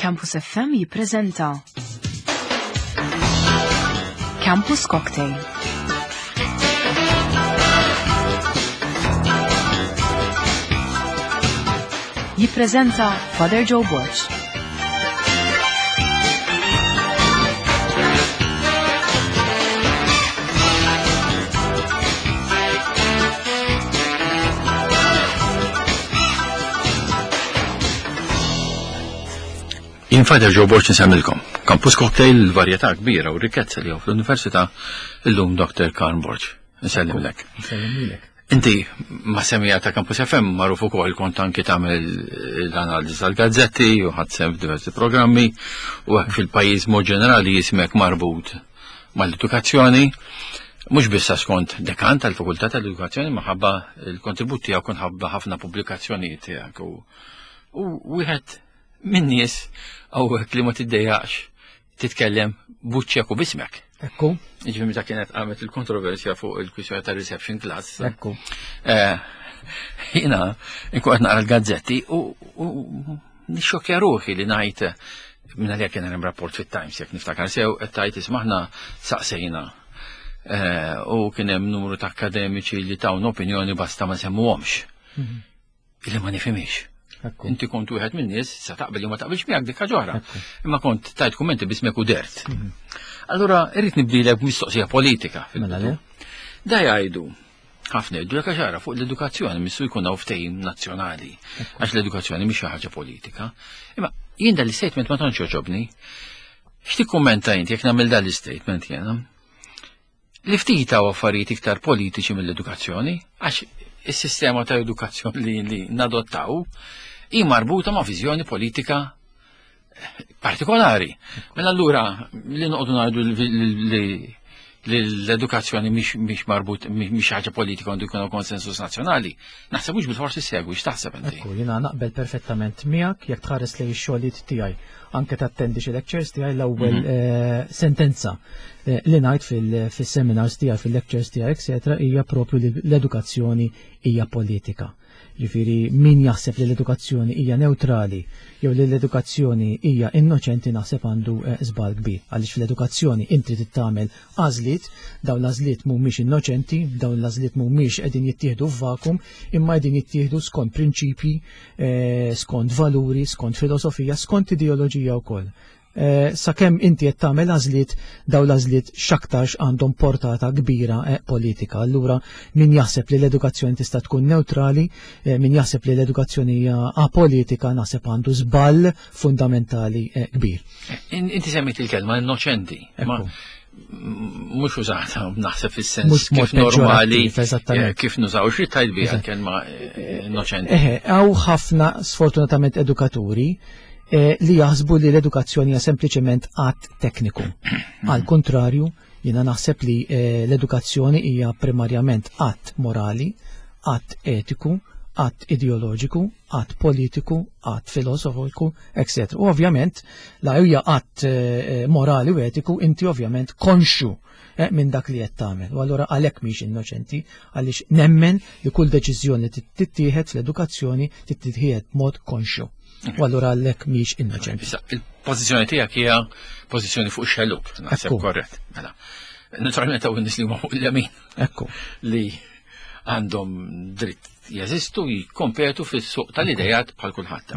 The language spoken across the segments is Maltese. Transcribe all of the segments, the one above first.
Campus FM jippreżenta Campus Cocktail. Jippreżenta Father Joe Borg. Jien Father Joe Borg nsemmilkom. Campus Cocktail varjetà kbira u rikkezza li fl-Università illum Dr. Karn Borg. Nsellimlek. Nsellimlek. Inti ma semija ta' Campus FM magħruf ukoll kont anki tagħmel l-analiżi tal-gazzetti u ħadd sem f'diversi programmi u hekk fil-pajjiż mod ġenerali jismek marbut mal-edukazzjoni mhux biss għax kont dekan tal-Fakultà tal-Edukazzjoni maħabba l-kontribut tiegħek kont ħabba ħafna pubblikazzjonijiet tiegħek u wieħed minn nies hawnhekk li ma tiddejjaqx titkellem buċċek u bismek. Ekku. Ġifieri meta kienet qamet il-kontroversja fuq il-kwistjoni ta' reception class. Ekku. Eh, jiena nkun qed naqra l-gazzetti u nixxokkja ruħi li ngħid minn għalija kien hemm rapport fit-Times jekk niftakar sew qed tgħid ismaħna saqsejna. Eh, u kien hemm numru ta' akademiċi li tawna opinjoni basta ma semmuhomx. Mhm. Illi ma nifhimix. Inti kont wieħed minn nies sa taqbel jew ma taqbilx miegħek dik ħaġa Imma kont tajt kummenti bismek u dert. Mhm. Allura irrid nibdilek mistoqsija politika. Mela da jgħidu ħafna jgħidu jekk ħaġa fuq l-edukazzjoni missu jkun hawn ftehim nazzjonali għax l-edukazzjoni mhix xi ħaġa politika. Imma jien dan l-istatement ma tantx jogħġobni. X'tikkummenta inti jekk nagħmel dan l-istatement jiena? Li ftit hawn affarijiet iktar politiċi mill-edukazzjoni, għax is-sistema ta' edukazzjoni li, li nadottaw hi marbuta ma' viżjoni politika partikolari. Mela allura li noqogħdu ngħidu li l-edukazzjoni mhix marbut mhix ħaġa politika għandu jkun konsensus nazzjonali. Naħseb mhux bil-forsi segwi x'taħseb inti. Ekku, jiena naqbel perfettament miegħek jekk tħares lejn ix-xogħlijiet tiegħi. Anke tattendi xi lectures tiegħi l-ewwel mhm. eh, sentenza eh, li ngħid fil-seminars tiegħi, fil-lectures tiegħi, eccetera, hija propju li l-edukazzjoni hija politika. Ġifieri min jaħseb li l-edukazzjoni hija newtrali jew li l-edukazzjoni hija innoċenti naħseb għandu eh, żball kbir. Għaliex fl-edukazzjoni inti trid tagħmel għażliet, dawn l-għażliet mhumiex innoċenti, dawn l-għażliet mhumiex qegħdin jittieħdu f'vakum, imma qegħdin jittieħdu skont prinċipji, eh, skont valuri, skont filosofija, skont ideoloġija wkoll. Eh, sakemm inti qed tagħmel għażliet daw l-għażliet x'aktarx għandhom portata kbira eh, politika. Allura min jaħseb li l-edukazzjoni tista' tkun neutrali, eh, min jaħseb li l-edukazzjoni hija apolitika naħseb għandu żball fundamentali kbir. Inti semmejt il-kelma innoċenti. Mhux użata naħseb fis-sens kif normali kif nużaw xi tajt biha kelma innoċenti. Hawn ħafna sfortunatament edukaturi Eh, li jaħsbu li l-edukazzjoni hija sempliċement att tekniku. Għal kontrarju, jiena naħseb li eh, l-edukazzjoni hija primarjament att morali, att etiku, att ideoloġiku, att politiku, att filosofiku, etc. U ovvjament, la hija att eh, morali u etiku, inti ovvjament konxu minn dak li qed tagħmel. U allura għalhekk mhix innoċenti, għaliex nemmen li kull deċiżjoni tittieħed fl-edukazzjoni tittieħed b'mod konxju. U allura għalhekk mhix innoċenti. Il-pożizzjoni tiegħek hija pożizzjoni fuq xelluk, naħseb korrett. Mela. Naturalment hawn nies li huma fuq il-lemin. Ekku. Li għandhom dritt jeżistu jikkompetu fis-suq tal-idejat bħal kulħadd.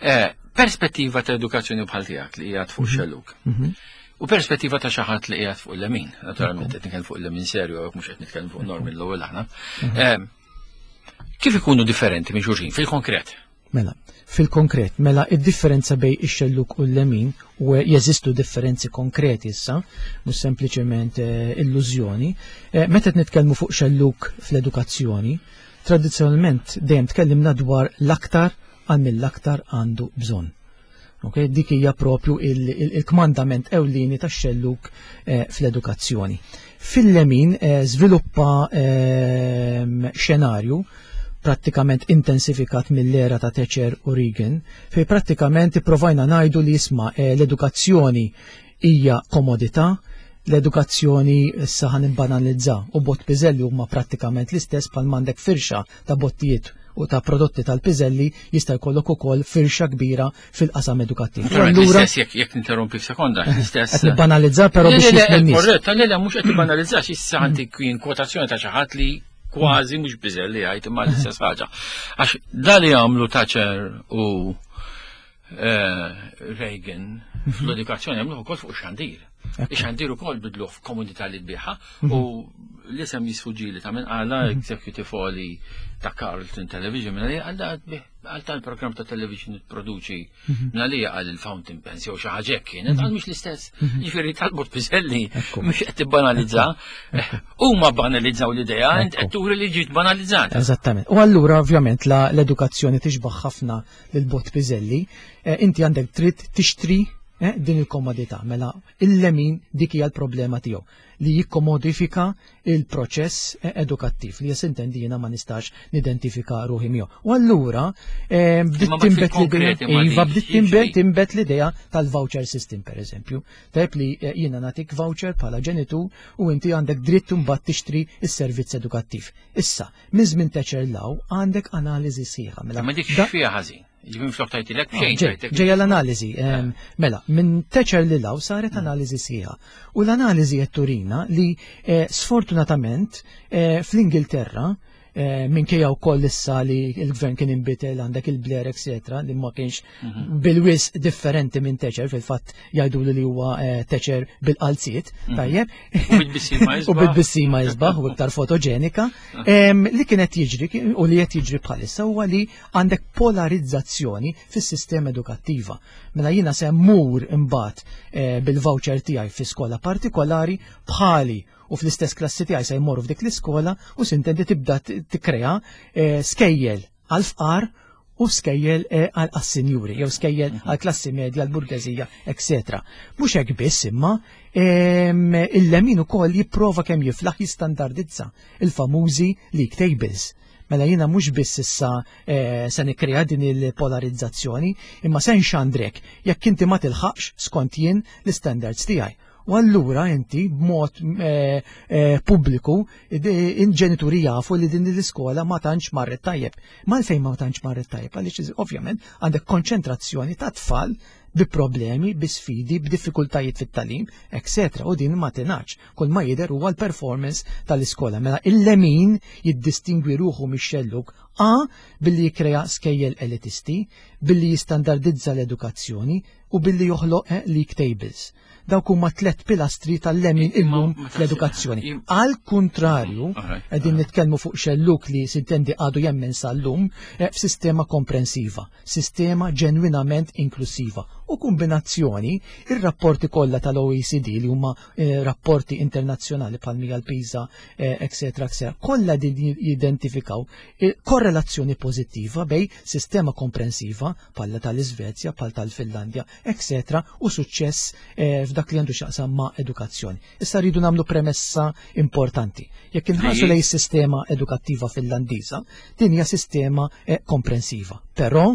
Eh, perspettiva ta' edukazzjoni bħal tiegħek li qiegħed fuq mhm. xelluk. Mhm. U perspettiva ta' xi ħadd li qiegħed fuq il-lemin, naturalment qed nitkellem fuq il-lemin serju, mhux qed nitkellem fuq normi l-ewwel aħna. Mhm. Eh, kif ikunu differenti minn xulxin fil-konkret? Mela, fil-konkret, mela id-differenza bej ix-xelluk u l-lemin u jeżistu differenzi konkreti issa, mhux sempliċement eh, illużjoni. Eh, meta qed nitkellmu fuq xelluk fl-edukazzjoni, tradizzjonalment dejjem tkellimna dwar l-aktar għal mill-aktar għandu bżonn. Okay? Dik hija propju il-kmandament il ewlieni tax-xelluk eh, fl-edukazzjoni. Fil-lemin eh, żviluppa eh, xenarju prattikament intensifikat mill-era ta' Thatcher u Reagan, fej prattikament ipprovajna ngħidu li jisma' eh, l-edukazzjoni hija komodità, l-edukazzjoni issa ħan imbanalizza u bott piżelli huma prattikament l-istess bħal m'għandek firxa ta' bottijiet u ta' prodotti tal-piżelli jista' jkollok ukoll firxa kbira fil-qasam edukattiv. Allura jekk jekk ninterrompi f'sekonda, l-istess. Qed nibbanalizza però biex jifhem Korrett, le le mhux qed tibbanalizza issa għandi kien kwotazzjoni ta' xi ħadd li kważi mhux biżelli jgħid imma l-istess ħaġa. Għax da li għamlu Thatcher u eh, Reagan mhm. fl-edukazzjoni għamluh ukoll fuq xandir. Ix-xandir ukoll bidluh f'komunità li tbiħa mhm. u l-isem jisfuġili ta' minn għala mhm. executive oli ta' Carlton Television minn għalija għal tal-program ta' television produċi mhm. minn għalija għal il-fountain pens jew xi ħaġa kienet għal mhux l-istess. Jiġifieri talbot piżelli mhux qed tibbanalizza. Huma banalizzaw l-idea, int qed turi li ġiet banalizzata. Eżattament. U allura ovvjament l-edukazzjoni tixbaħ ħafna lil bot piżelli, eh, inti għandek trid tixtri eh, din il-komodità. Mela il-lemin dik hija l-problema tiegħu li jikkomodifika il-proċess eh, edukattiv li jessintendi jiena ma nistax nidentifika ruħi miegħu. U allura eh, bdiet timbet l-idea iva bdiet timbet l-idea tal-voucher system pereżempju. Tajb li eh, jiena nagħtik voucher bħala ġenitur u inti għandek dritt imbagħad tixtri s-servizz edukattiv. Issa, minn żmien Thatcher law għandek analiżi sħiħa. Mela, ma dik fiha ħażin. Ġifieri flok tajtilek ah, xejn. Ġejja l-analiżi. Eh. Mela, minn Thatcher li law saret mm. analiżi sħiħa. U l-analiżi qed turina li eh, sfortunatament eh, fl-Ingilterra minkejja wkoll issa li l-gvern kien inbidel għandek il-Blair etc. li ma kienx mhm. bil-wis differenti minn Thatcher fil-fatt jgħidu li huwa Thatcher bil-qalziet, mhm. tajjeb. U bil-bissima isbaħ u iktar fotoġenika. Li kienet jiġri u li qed jiġri bħalissa huwa li għandek polarizzazzjoni fis-sistema edukattiva. Mela jiena se mmur imbagħad eh, bil-voucher tiegħi fi skola partikolari bħali u fl-istess klassi tiegħi se jmorru f'dik l-iskola u sintendi tibda tikkrea eh, skejjel għal fqar u skejjel eh, għal sinjuri jew skejjel mhm. għal klassi medja, għal burgeżija, etc. Mhux hekk biss imma il-lemin ukoll jipprova kemm jiflaħ jistandardizza il-famużi league tables. Mela jiena mhux biss issa eh, se nikkrea din il-polarizzazzjoni, imma se nxandrek jekk inti ma tilħaqx skont jien l-standards tiegħi. U allura inti b'mod eh, eh, pubbliku il-ġenituri jafu li din l-iskola ma tantx marret tajjeb. Ma fejn ma tantx marret tajjeb għaliex ovvjament għandek konċentrazzjoni ta' tfal bi problemi, bi sfidi, b'diffikultajiet fit-talim, etc. U din ma tingħadx. Kull ma jidher huwa l-performance tal-iskola. Mela il-lemin jiddistingwi ruħu mix-xellug A billi jikkrea skejjel elitisti, billi jistandardizza l-edukazzjoni u billi joħloq eh, league tables. Dawk huma tlet pilastri tal-lemin illum fl-edukazzjoni. Għal kuntrarju, qegħdin nitkellmu fuq xelluk li sintendi għadu jemmen sal-lum eh, f'sistema komprensiva. sistema ġenwinament inklusiva u kombinazzjoni ir-rapporti kollha tal-OECD li huma eh, rapporti internazzjonali bħal mija l-PISA, eccetera, eh, eccetera, kollha din jidentifikaw eh, korrelazzjoni pożittiva bej sistema komprensiva bħal tal-Iżvezja, bħal tal-Finlandja, eccetera, u suċċess eh, f'dak li għandu x'jaqsam ma' edukazzjoni. Issa rridu nagħmlu premessa importanti. Jekk inħarsu lej sistema edukattiva Finlandiża, din hija sistema eh, komprensiva. Però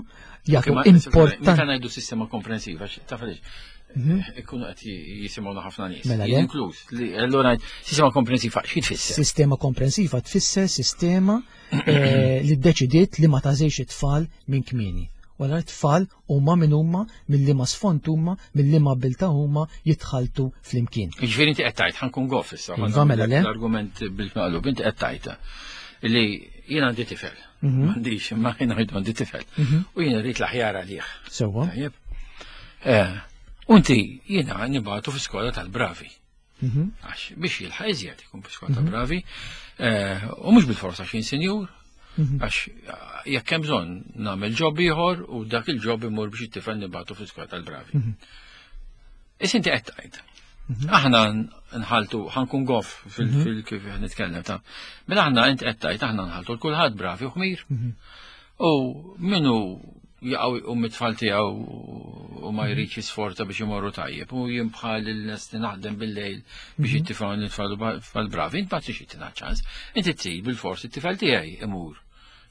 jagħtu importanti. Meta ngħidu sistema komprensiva, taf għaliex? Mhm. Ikunu qed jisimgħuna ħafna nies. Mela le. Inkluż. Allura sistema komprensiva xi tfisser? Sistema komprensiva tfisser sistema eh, li ddeċidiet li ma tażejx it-tfal minn kmieni. Wara t-tfal huma min huma, minn liema sfond huma, minn liema abbiltà huma jitħalltu flimkien. Jiġifieri inti qed tgħid ħankun goff issa. Iva mela le. L-argument bil-maqlub inti qed tgħid li jien għandi tifel. Mhm. M'għandix, imma jien għandi tifel. Mhm. U jien rrid l-aħjar għalih. Sewwa. Eh, unti jiena nibgħatu fi skola tal-bravi. Mhm. Għax biex jilħaq iżjed ikun fi skola tal-bravi. Eh, u mhux bil-forsa x'in sinjur, mhm. għax eh, jekk hemm bżonn nagħmel ġob ieħor u dak il-ġob imur biex it-tifel nibgħatu fi skola tal-bravi. Mhm. Is inti qed tgħid. Aħna nħaltu, ħankun goff fil-kif nitkellem ta'. Mela aħna int qed tgħid aħna nħaltu l-kulħadd bravi u ħmir. U minu jaqgħu jqum mit-tfal tiegħu u ma jridx jisforza biex imorru tajjeb u jien bħal il-nies li naħdem bil-lejl biex mhm. it-tifel nitfal tfal bravi, int ma tix tina ċans. Inti trid bil-fors it-tifel tiegħi imur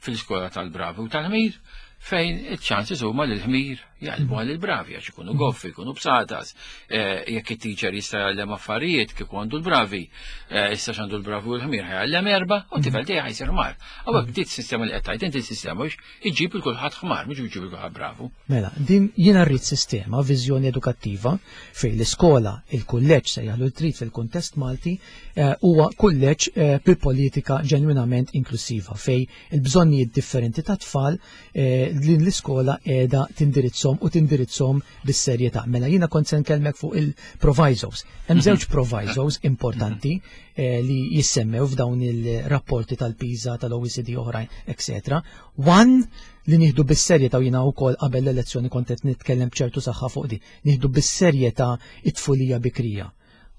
fil-iskola tal-bravi u tal-ħmir fejn iċ-ċansi huma li l-ħmir. Jgħallmu għal il-bravi għax ikunu goffi, ikunu bsatas. Eh, jekk it-teacher jista' jgħallem affarijiet kieku għandu l-bravi, eh, issa x'għandu l-bravi u l-ħmir ħajgħallem erba' u tifel tiegħi ħajsir ħmar. Hawnhekk dit sistema li qed tgħid inti sistema biex iġib il kulħadd ħmar, mhux iġib il kulħadd bravu. Mela, din jiena rrid sistema, viżjoni edukattiva fejn l-iskola, il-kulleġġ se jaħlu trid fil-kuntest Malti, eh, huwa kulleġġ bil-politika ġenwinament inklusiva fejn il-bżonnijiet differenti ta' tfal eh, li l-iskola qiegħda tindirizzhom u tindirizzhom bis-serjetà. Mela jiena kont se nkellmek fuq il-provisos. Hemm mhm. żewġ provisos importanti eh, li jissemmew f'dawn il-rapporti tal-PISA, tal-OECD oħrajn, etc. One li nieħdu bis-serjetà u jiena wkoll qabel l-elezzjoni kont qed nitkellem b'ċertu saħħa fuq di, nieħdu bis-serjetà it-tfulija bikrija.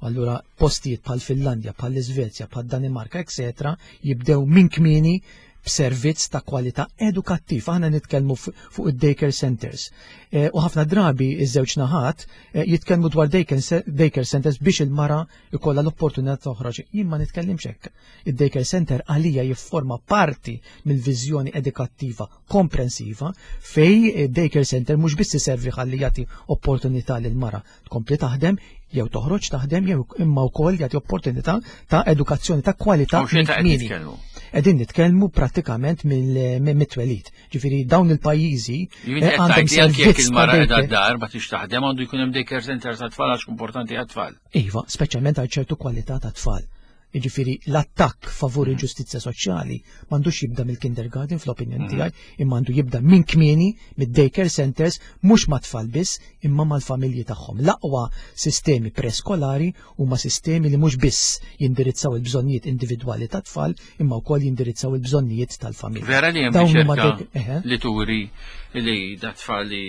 Allura postijiet bħal Finlandja, bħal l-Iżvezja, bħal Danimarka, etc. jibdew minn kmieni b'servizz ta' kwalità edukattiv. Aħna nitkellmu fuq id-daycare centers. E, u ħafna drabi iż-żewġ naħat e, jitkellmu dwar daycare centers biex il-mara ikollha l-opportunità toħroġ. Jien ma nitkellimx hekk. Id-daycare center għalija jifforma parti mill-viżjoni edukattiva komprensiva fej daycare center mhux biss iservi ħalli jagħti opportunità lil mara tkompli taħdem jew toħroġ taħdem jew imma wkoll jagħti opportunità ta' edukazzjoni ta' kwalità minn Qegħdin nitkellmu prattikament mill-twelid. Ġifieri dawn il-pajjiżi eh, għandhom servizz il-mara qiegħda d-dar ma tix taħdem għandu jkun hemm daycare center ta' tfal għax importanti għat-tfal. Iva, speċjalment għal ċertu kwalità ta' tfal. Jiġifieri l-attakk favur il-ġustizzja soċjali m'għandux jibda mill-kindergarten fl-opinjoni mhm. tiegħi, imma għandu jibda minn kmieni mid-daycare centers mhux mat-tfal biss imma mal-familji tagħhom. L-aqwa sistemi preskolari huma sistemi li mhux biss jindirizzaw il-bżonnijiet individwali tat-tfal imma wkoll jindirizzaw il-bżonnijiet tal-familja. Vera li hemm riċerka li turi li da tfal li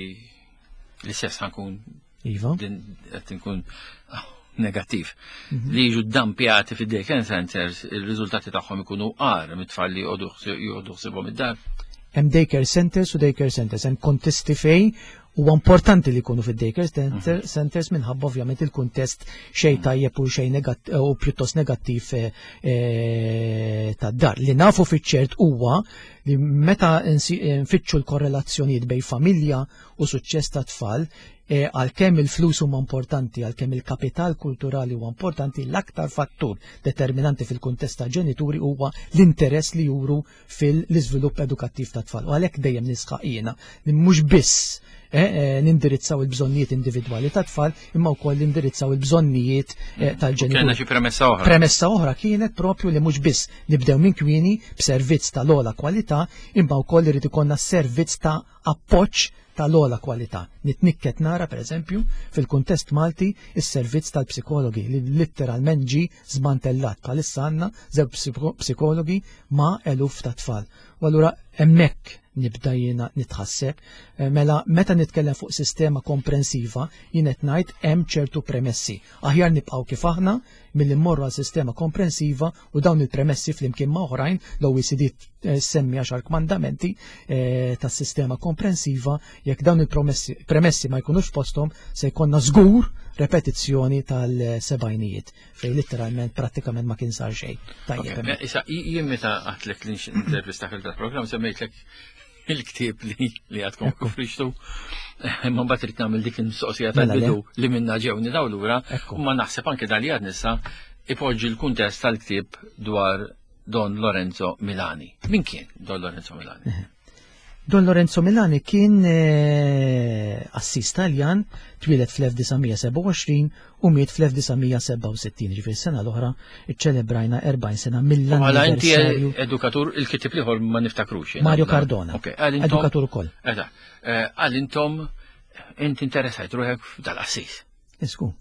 l-istess ħankun Iva. Din qed inkun negattiv. Mhm. Li jiġu dampjati fid daycare centers, il-riżultati tagħhom ikunu għar mit-tfal li joqogħdu ħsibhom id-dar. Hemm daycare centers u daycare centers, hemm kontesti fejn huwa importanti li jkunu fid-daycare mhm. centers minħabba ovvjament il-kuntest xejn mhm. tajjeb u xejn u pjuttost negattiv eh, eh, tad-dar. Li nafu fiċ-ċert huwa li meta nfittxu l-korrelazzjonijiet bejn familja u suċċess ta' tfal, e, għalkemm il-flus huma importanti, għalkemm il-kapital kulturali huwa importanti, l-aktar fattur determinanti fil-kuntest ta' ġenituri huwa l-interess li juru fil-iżvilupp edukattiv ta' tfal. U għalhekk dejjem nisħaq jiena li mhux biss e, e, nindirizzaw il-bżonnijiet individwali ta' tfal, imma wkoll nindirizzaw il-bżonnijiet tal-ġenituri. Kellna xi premessa oħra. Premessa oħra kienet propju li mhux biss nibdew minn kmieni b'servizz tal-ogħla kwalità, imma wkoll irid ikollna servizz ta' appoġġ tal-ogħla kwalità. Nitnikket nara, per eżempju, fil-kuntest Malti, is-servizz tal-psikologi li litteralment ġie żmantellat. Bħalissa għandna żewġ psikologi ma' eluf ta' tfal. U allura hemmhekk nibda jiena nitħasseb. Eh, mela meta nitkellem fuq sistema komprensiva, jien qed ngħid hemm ċertu premessi. Aħjar nibqgħu kif aħna milli mmorru għal sistema komprensiva u dawn il-premessi flimkien ma' oħrajn l-OECD eh, semmi għaxar kmandamenti eh, tas-sistema komprensiva jekk dawn il-premessi ma jkunux fosthom se jkollna żgur repetizzjoni tal-sebajnijiet fejn litteralment prattikament ma kien sar xejn. Tajjeb. Issa jien meta għatlek li intervista fil-programm semmejtlek il-ktieb li li għadkom kufriċtu. Ma mbagħad irid nagħmel dik il-mistoqsija mela tal-bidu li minna ġew nidaw lura, ma naħseb anke dal għad nissa ipoġġi l-kuntest tal-ktieb dwar Don Lorenzo Milani. Min kien Don Lorenzo Milani? Don Lorenzo Milani kien eh, assis Taljan, twieled fl-1927 u miet fl-1967, ġifieri sena l-oħra iċċelebrajna 40 sena mill-anniversarju. Għala inti edukatur il-kitib liħor ma niftakrux. Mario Cardona. Edukatur ukoll. Eh, għal intom inti interessajt ruħek dal-assis. Isku.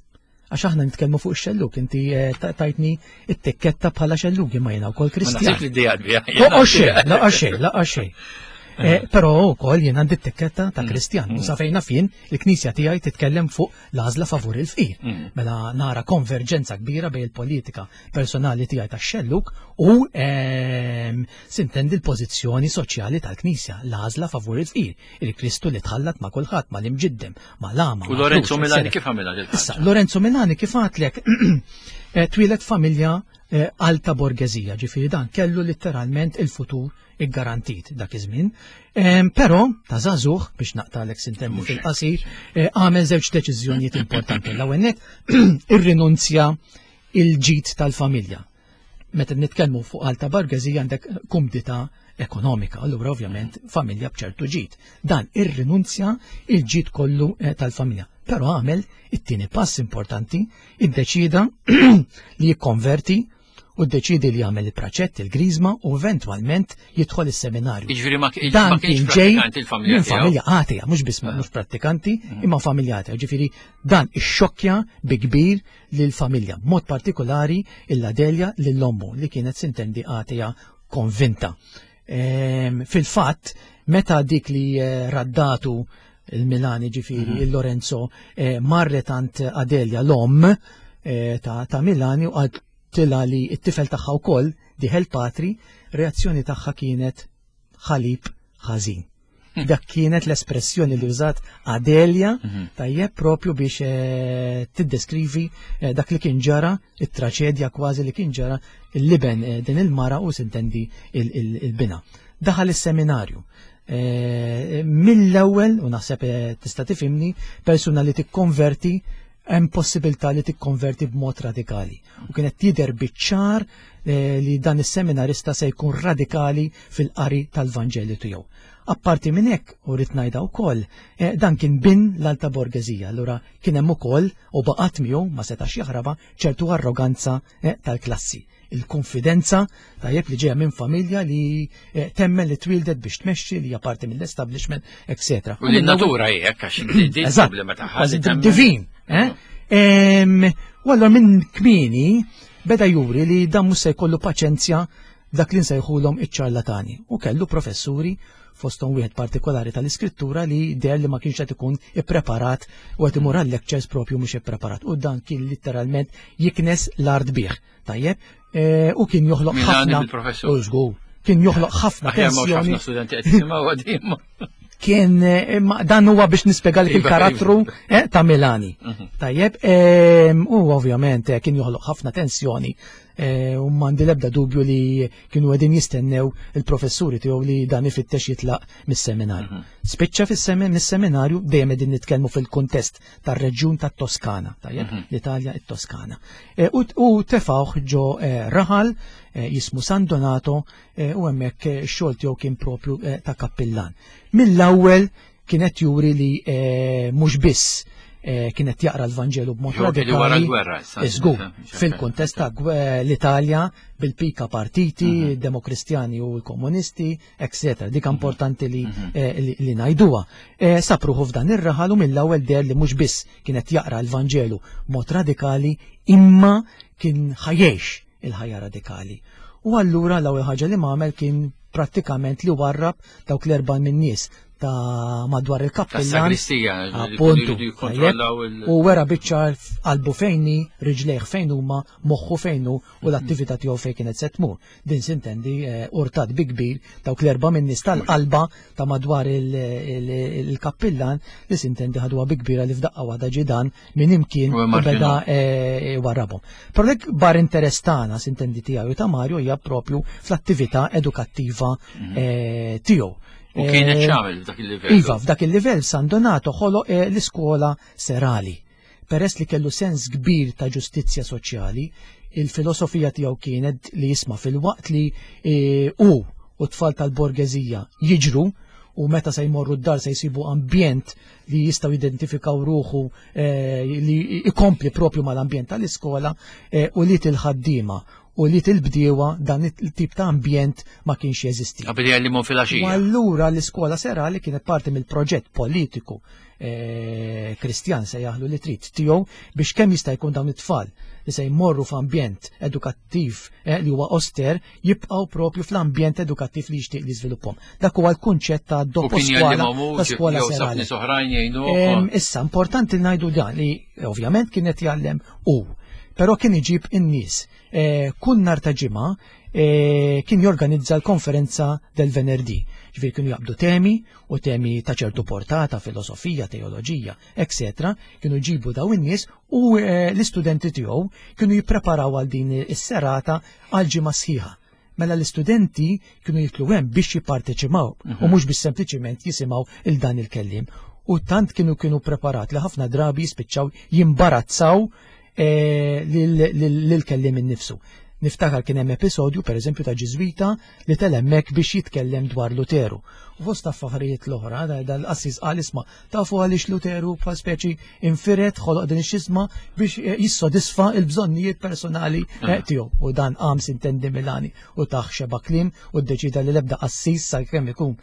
Għax aħna nitkellmu fuq ix-xelluk, inti eh, tajtni it-tikketta bħala xelluk imma jiena wkoll Kristjan. Laqgħa xejn, laqgħa xejn, laqgħa xejn. Eh, però wkoll jien għandi t-tikketta ta' mm. Kristjan. U mm. sa fejna fien il-Knisja tiegħi titkellem fuq l-għażla favur il-fqir. Mm. Mela nara konverġenza kbira bejn il-politika personali tiegħi tax-xelluk u ehm, sintendi l-pożizzjoni soċjali tal-Knisja, l-għażla favur il-fqir, il-Kristu li tħallat ma' kulħadd, ma' l-imġiddem, ma' l-għama. U Lorenzo Milani kif għamilha Issa, Lorenzo Milani kif għatlek eh, twieled familja eh, alta borgezija, ġifieri dan kellu letteralment il-futur iggarantit dak iż-żmien. Però ta' żagħżugħ biex naqtalek sintemmu fil-qasir, eh, għamel żewġ deċiżjonijiet importanti. L-ewwel nett irrinunzja il-ġid tal-familja. Meta nitkellmu fuq alta borgeżija għandek kumdità ekonomika, allura ovvjament familja b'ċertu ġid. Dan irrinunzja il-ġid kollu eh, tal-familja. Però għamel it-tieni pass importanti, iddeċida li jikkonverti u ddeċidi li jagħmel il-praċett, il-griżma u eventwalment jidħol is-seminarju. Jiġifieri ma dan kien ġej minn familja għatija, mhux biss ah. mhux prattikanti, mm. imma familja għatija. Ġifieri dan ixxokkja bi kbir lill-familja, mod partikolari il-Adelja lill-ommu li kienet sintendi għatija konvinta. Ehm, fil-fatt, meta dik li eh, raddatu il-Milani ġifiri, mhm. il-Lorenzo, eh, marret għand Adelja l-om eh, ta' Milani u għad tila li t-tifel tagħha wkoll diħel patri, reazzjoni tagħha kienet ħalib ħażin. Hmm. Dak kienet l-espressjoni li użat Adelja mhm. tajjeb propju biex eh, tiddeskrivi eh, dak li kien ġara, it-traċedja kważi li kien ġara il-liben eh, din il-mara u sintendi il-bina. Daħal is-seminarju. Mill-ewwel, u naħseb tista' tifhimni, persuna li tikkonverti hemm possibilità li tikkonverti b'mod radikali. U kienet tidher biċ-ċar eh, li dan is-seminarista se jkun radikali fil-qari tal-Vanġelu tiegħu. Apparti minn hekk, u rrid ngħidha wkoll, eh, dan kien bin l-alta borgeżija, allura kien hemm ukoll u baqgħet miegħu ma setax jaħraba ċertu arroganza eh, tal-klassi il-konfidenza tajjeb li ġeja minn familja li eh, temmen li twildet biex tmexxi li hija parti mill-establishment, etc. U li natura hekk għax din problema tagħha. Divin, eh? U allura minn kmieni beda juri li dan mhux se jkollu paċenzja dak li nsejħulhom iċ-ċarlatani u kellu professuri fosthom wieħed partikolari tal-iskrittura li deher li ma kienx qed ikun ippreparat u qed imur għal lectures propju mhux ippreparat u dan kien litteralment jiknes l-art bih. Tajjeb, e, u kien joħloq ħafna. U żgur, kien joħloq ħafna tensjoni. Kien e, dan huwa biex nispjegalek iva, il-karattru iva. e, ta' Milani. Mhm. Tajjeb, u ovvjament kien joħloq ħafna tensjoni Eh, u m'għandi l-ebda dubju li kienu qegħdin jistennew il-professuri tiegħu li dan ifittex jitlaq mis-seminarju. Mhm. Spiċċa mis-seminarju dejjem qegħdin nitkellmu fil-kuntest tar-reġjun tat-Toskana, tajjeb, mhm. l-Italja it-Toskana. Eh, u tefawh ġo eh, raħal jismu San Donato u hemmhekk x-xogħol tiegħu kien propju ta' kappillan. Mill-ewwel kienet juri li eh, mhux biss eh, kienet jaqra l-Vanġelu b'mod radikali. Wara Żgur, fil-kuntest ta' l-Italja bil-pika partiti, mhm. demokristjani u l-komunisti, etc. Dik mhm. importanti li, mhm. eh, li, li ngħiduha. Sapruħu f'dan ir-raħal u mill-ewwel der li mhux biss kienet jaqra l-Vanġelu b'mod radikali imma kien ħajjex il-ħajja radikali. U allura l-ewwel ħaġa li m'għamel kien prattikament li warrab dawk l-erba' min-nies ta' madwar il-kappillan. Sagristija, appuntu. U wera biċċar qalbu fejni, riġlejh fejn huma, moħħu fejn hu u l-attività tiegħu fejn kienet se tmur. Din sintendi eh, urtat bi kbir dawk l-erba' min-nies tal-qalba ta' madwar il-kappillan li sintendi ħadwa bi kbira li f'daqqa waħda ġidan minn imkien u beda eh, warrabhom. Però l-ikbar interess tagħna sintendi tiegħu ta' Mario hija propju fl-attività edukattiva mhm. eh, tiegħu. U kienet eh, xamel f'dak il-livell. Iva, f'dak il-livell San Donato ħoloq l-iskola serali. Peress li kellu sens kbir ta' ġustizzja soċjali, il-filosofija tiegħu kienet li jisma' fil-waqt li hu u tfal tal-borgeżija jiġru u meta se jmorru d-dar se jsibu ambjent li jistgħu jidentifikaw ruħu eh, li ikompli propju mal-ambjent tal-iskola eh, u li til-ħaddiema u li til-bdiewa dan il-tip ta' ambjent ma kienx jeżisti. Qabel jgħallimhom fil-għaxija. U allura l-iskola serali kienet parti mill-proġett politiku eh, Kristjan se jaħlu li trid tiegħu biex kemm jista' jkun dawn it-tfal li se jmorru f'ambjent edukattiv eh, li huwa oster jibqgħu propju fl-ambjent edukattiv li jixtieq li jiżviluppahom. Dak huwa l-kunċett ta' dopo skola ta' skola serali. Issa importanti ngħidu dan li ovvjament kien qed jgħallem hu, però kien iġib in-nies. Eh, kull nhar ta' ġimgħa eh, kien jorganizza l-konferenza del Venerdì. Ġifieri kienu jaqbdu temi u temi ta' ċertu portata, filosofija, teoloġija, etc. Kienu jġibu daw in-nies u eh, l-istudenti tiegħu kienu jippreparaw għal din is-serata għal ġimgħa sħiħa. Mela l-istudenti kienu jitlu hemm biex jipparteċipaw u mhux biex sempliċiment jisimgħu il dan il-kelliem. U tant kienu preparat li ħafna drabi jispiċċaw jimbarazzaw lil-kelliem innifsu. Niftakar kien hemm episodju pereżempju ta' Ġiżwita li tela' hemmhekk biex jitkellem dwar Luteru. U fost affarijiet l-oħra, dal-qassis qal isma' tafu għaliex Luteru bħal speċi infiret ħoloq din ix-xisma biex jissodisfa l-bżonnijiet personali tiegħu. U dan qam sintendi Milani u taħ xeba kliem u ddeċida li l-ebda qassis sakemm ikun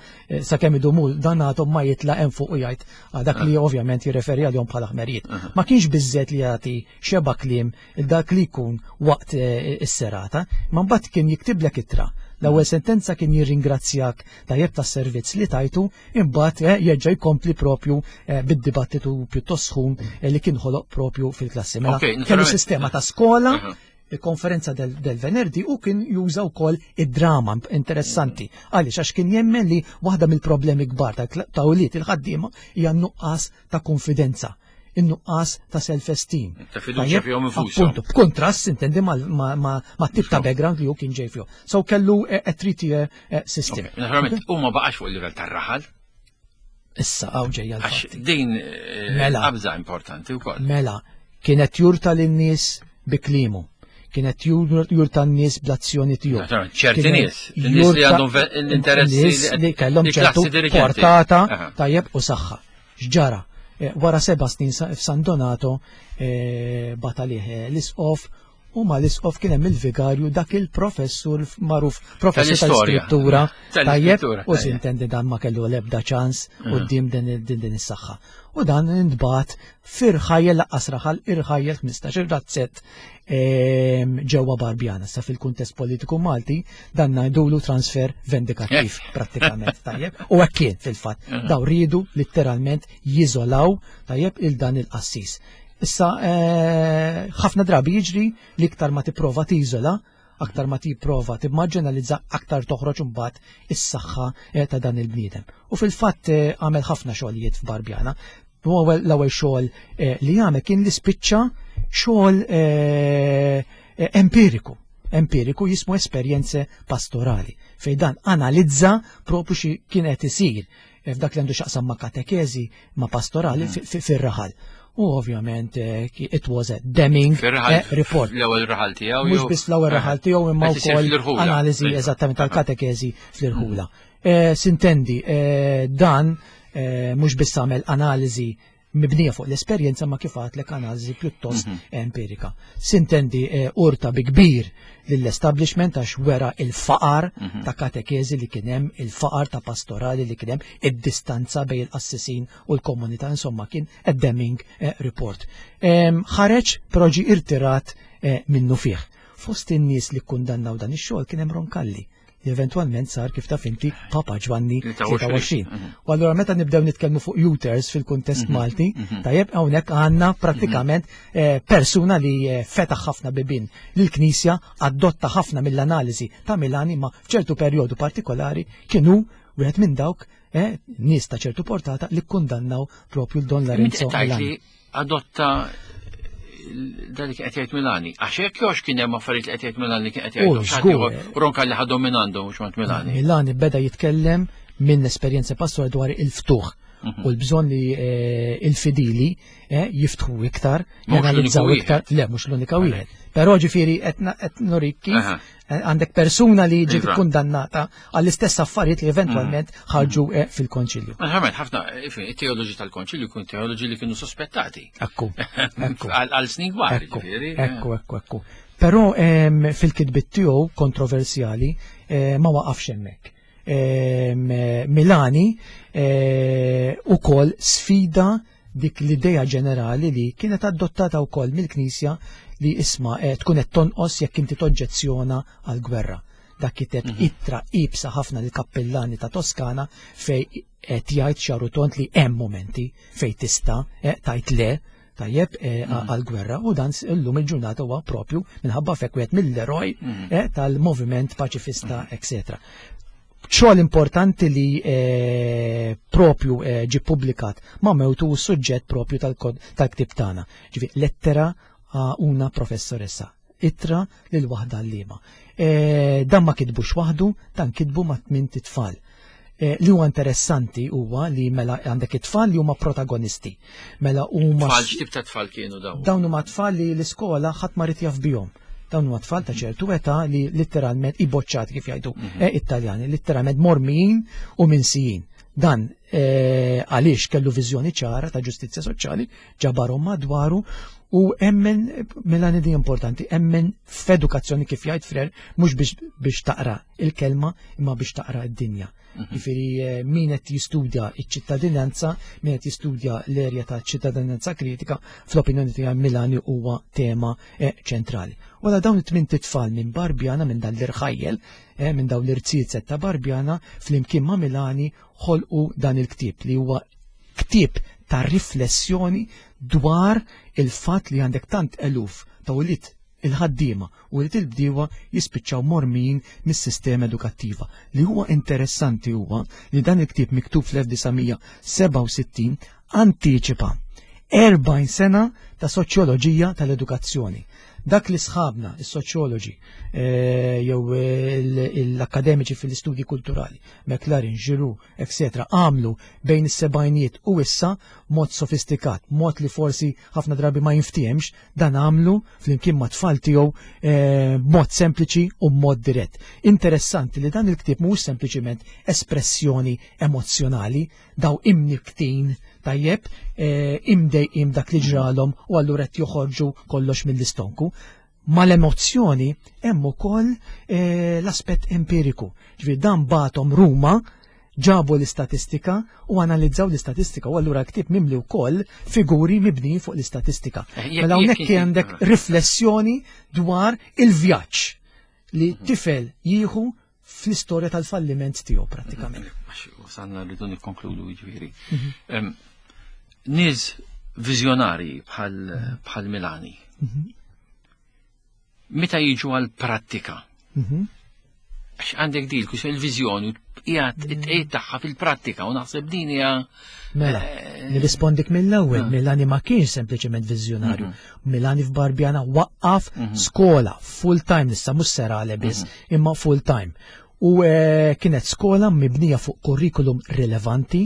sakemm idumu dan għadhom ma jitla' hemm fuq u jgħid dak li ovvjament jirreferi għalihom bħala ħmerijiet. Ma kienx biżżejjed li jagħti xeba kliem il dak li jkun waqt is-serata, ma mbagħad kien jiktiblek ittra. L-ewwel sentenza kien jirringrazzjak tajjeb tas-servizz li tajtu, imbagħad jerġa' jkompli propju bid-dibattitu pjuttost sħun li kien ħoloq propju fil-klassi. Mela kellu sistema ta' skola, il-konferenza del Venerdi, u kien juża wkoll id-drama interessanti. Għaliex għax kien jemmen li waħda mill-problemi kbar ta' ulied il-ħaddiema hija n-nuqqas ta' konfidenza, in-nuqqas ta' self-esteem. Ta' fiduċja fihom infushom. Appuntu, b'kontrast intendi ma' tip ta' background li hu kien ġej fihom. So kellu a three-tier system. Okay. Naturalment, huma baqax fuq il-livell tar-raħal. Issa hawn ġejja Għax l-fatti. din Mela. qabża importanti wkoll. Mela, kienet jurta lin-nies bi kliemu. Kienet jurta n-nies bl-azzjoni tiegħu. Naturalment, ċerti Kienet nies, nies li jurta għandhom l-interessi nies li kellhom li klassi ċertu dirigenti. portata tajjeb u saħħa. X'ġara? Wara 7 snin f'San Donato batalih l-isqof, u ma l-isqof kien hemm il-vigarju dak il-professur magħruf professur Tal-istorja. tal-iskrittura, tajjeb, Tal-iskrittura, u tajjeb. sintendi dan ma kellu l-ebda ċans quddiem din is-saħħa. U dan intbagħat firħajjel laqqas raħal irħajjel 15 razzett ġewwa Barbjana. Sa fil-kuntest politiku Malti dan ngħidulu transfer vendikattiv prattikament, tajjeb. U hekk kien fil-fatt. Daw riedu litteralment jiżolaw tajjeb il dan il-qassis. Issa ħafna drabi jiġri li iktar ma tipprova tiżola, aktar ma tipprova timmarġinalizza, aktar toħroġ imbagħad is-saħħa ta' dan il-bniedem. U fil-fatt għamel ħafna xogħlijiet f'Barbjana. L-ewwel xogħol li għamel kien li spiċċa xogħol empiriku. Empiriku jismu esperjenze pastorali, fejn dan analizza propju xi kien qed isir f'dak li għandu x'aqsam ma' katekezi, ma' pastorali fir-raħal. U ovvjament it was a damning Fir-raħal, report. L-ewwel raħal tiegħu Mhux jew- biss l-ewwel raħal tiegħu imma Qed isir wkoll fl-irħula. analiżi eżattament tal-katekezi fl-irħula. Sintendi, dan mhux biss għamel analiżi mibnija fuq l-esperjenza ma kif għadlek analiżi pjuttost empirika. Sintendi urta bi kbir lill-establishment għax wera il-faqar ta' katekezi li kien hemm, il-faqar ta' pastorali li kien hemm, id-distanza bejn il-qassisin u l-komunità, insomma kien a damning report. Ħareġ però ġie irtirat minnu fih. Fost in-nies li kkundannaw dan ix-xogħol kien hemm Roncalli, li eventwalment sar kif taf inti Papa Ġwanni 23. 23. U allura meta nibdew nitkellmu fuq Uters fil-kuntest Malti, tajjeb hawnhekk għandna prattikament persuna li fetaħ ħafna bibien lill-Knisja, adotta ħafna mill-analiżi ta' Milani, ma f'ċertu perjodu partikolari kienu wieħed minn dawk nies ta' ċertu portata li kkundannaw propju l-Don Lorenzo Inti qed tgħid Milani. li adotta dak li qed jgħid Milani. Għax hekk jew kien hemm affarijiet li qed jgħid Milani kien qed jgħid. U Xi ħadd żgur. ieħor, Roncalli ħadhom minn għandu mhux minn Milani. Milani beda jitkellem minn esperjenza pastorali dwar il-ftuħ u l-bżonn li il-fidili jiftħu iktar, Mhux janalizzaw l-uniku iktar. wieħed. Le, mhux l-unika wieħed. Però ġifieri qed nurik kif għandek persuna li ġiet kundannata għall-istess affarijiet li eventwalment ħarġu fil-konċilju. Naturalment, ħafna, it-teoloġi tal-konċilju kun teoloġi li kienu sospettati. Ekku, ekku. Għal snin kbar, Ekku, ġifieri. ekku, ekku, ekku. Però fil-kitbiet tiegħu kontroversjali ma waqafx hemmhekk. Milani ukoll sfida dik l-idea ġenerali li kienet adottata wkoll mill-Knisja li isma' tkun qed tonqos jekk inti toġġezzjona għall-gwerra. Dak kiteb ittra ibsa ħafna lill-kappillani ta' Toskana fej qed jgħid xarutont li hemm momenti fej tista' tajt le tajjeb għall-gwerra, u dan illum il-ġurnata huwa propju minħabba fek wieħed mill-eroj tal-moviment paċifista, eccetera. Xogħol importanti li propju ġi publikat ma' mewtu suġġett propju tal-ktib tagħna. Ġifi lettera a una professoressa, ittra lil waħda għalliema. Dan ma kitbux waħdu, dan kitbu ma' tmint itfal. Li huwa interessanti huwa li mela għandek it-tfal li huma protagonisti. Mela huma Tfal x'tip ta' tfal kienu dawn? Dawn huma tfal li l-iskola ħadd ma rid jaf bihom. Dawn huma tfal ta' ċertu età li litteralment iboċċati kif jgħidu it-Taljani, litteralment mormijin u minsijin. Dan għaliex kellu viżjoni ċara ta' ġustizzja soċjali, ġabarhom madwaru u emmen, mela di importanti, emmen f'edukazzjoni kif jgħid Frere, mhux biex taqra il-kelma imma biex taqra d-dinja. Jiġifieri min qed jistudja ċ-ċittadinanza, min qed jistudja l-erja ta' ċittadinanza kritika, fl-opinjoni tiegħi Milani huwa tema ċentrali. Wara dawn it-tmien tfal minn Barbjana, minn dan l-irħajjel, minn dawn l-irziezet ta' Barbjana, flimkien ma' Milani ħolqu dan il-ktieb li huwa ktieb ta' riflessjoni dwar il-fatt li għandek tant eluf ta' ulied il-ħaddiema u li il-bdiewa jispiċċaw mormin mis-sistema edukattiva. Li huwa interessanti huwa li dan il-ktieb miktub fl-1967 antiċipa 40 sena ta' soċjoloġija tal-edukazzjoni. Dak li sħabna, is-soċjoloġi, jew l-akademiċi fil-istudji kulturali, McLaren, Giroux, etc., għamlu bejn is-sebgħinijiet u issa mod sofistikat, mod li forsi ħafna drabi ma jinftiehemx, dan għamlu flimkien ma' tfal tiegħu mod sempliċi u mod dirett. Interessanti li dan il-ktieb mhuwiex sempliċiment espressjoni emozzjonali, daw imniktin tajjeb, imdejqim dak li ġralhom u allura qed joħorġu kollox mill-istonku. Mal-emozzjoni hemm ukoll l-aspett empiriku. Ġifieri dan batom Ruma, ġabu l-istatistika u analizzaw l-istatistika u allura ktieb mimli wkoll figuri mibnijin fuq l-istatistika. Mela hawnhekk għandek riflessjoni dwar il-vjaġġ li tifel jieħu fl-istorja tal-falliment tiegħu prattikament. Wasalna rridu nikkonkludu jiġifieri. Nies viżjonari bħal Milani. Meta jiġu għal-prattika? Għax għandek dil, kus il-viżjoni qiegħed it-tqejt tagħha fil-prattika u naħseb din hija Mela, nirrispondik mill-ewwel, Milani ma kienx sempliċement viżjonarju. Milani f'Barbjana waqqaf skola full time, issa mhux serale biss, imma full time. U kienet skola mibnija fuq kurrikulum rilevanti,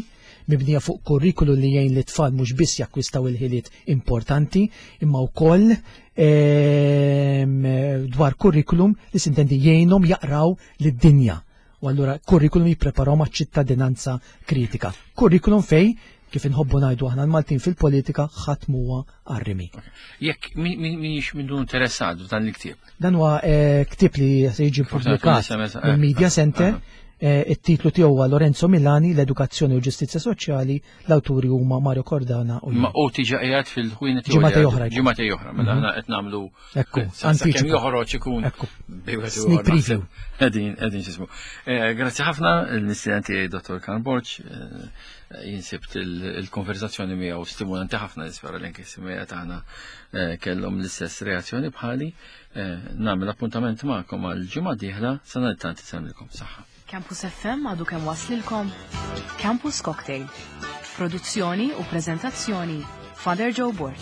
mibnija fuq kurrikulum li jgħin li tfal mhux biss jakkwistaw il-ħiliet importanti, imma wkoll dwar kurrikulum li sintendi jgħinhom jaqraw lid-dinja. U allura kurrikulum jippreparaw ma' ċittadinanza kritika. Kurrikulum fej, kif inħobbu ngħidu aħna l-Maltin fil-politika, ħadd huwa arrimi. Jekk minix mindu interessat f'dan il-ktieb? Dan huwa ktieb li se jiġi Forse pubblikat SMS, mill-Media Center. It-titlu tiegħu huwa Lorenzo Milani, l-Edukazzjoni u Ġustizzja Soċjali, l-awturi huma Mario Cordana u jien. Ma u tiġa qiegħed fil-ħwienet tiegħu Ġimgħa li oħra jkun. Ġimgħa oħra, mela aħna qed nagħmlu Ekku, sa kemm antiċipa. joħroġ ikun Ekku. bej wieħed Sneak ieħor preview. naħseb. Qegħdin, qegħdin x'ismu. Grazzi ħafna l-mistieden tiegħi Dottor Karl Borg, jien sibt il-konversazzjoni miegħu stimulanti ħafna, nispera li anke s-semmiegħa tagħna kellhom l-istess reazzjoni bħali. Nagħmel appuntament magħkom għal ġimgħa dieħla, sa nhar it-tant isellmilkom saħħa. Campus FM għadu kemm waslilkom Campus Cocktail. Produzzjoni u prezentazzjoni Father Joe Borg.